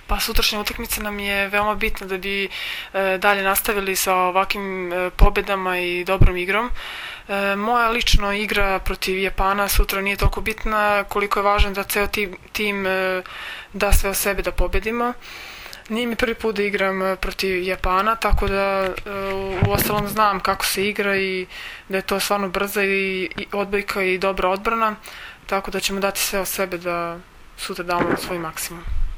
Pa sutrašnja utakmica nam je veoma bitna da bi dalje nastavili sa ovakvim pobedama i dobrom igrom. Moja lično igra protiv Japana sutra nije toliko bitna koliko je važno da ceo tim da sve od sebe da pobedimo. Nije mi prvi put da igram protiv Japana, tako da u ostalom znam kako se igra i da je to stvarno brza i odbojka i dobra odbrana, tako da ćemo dati sve od sebe da sutra damo svoj maksimum.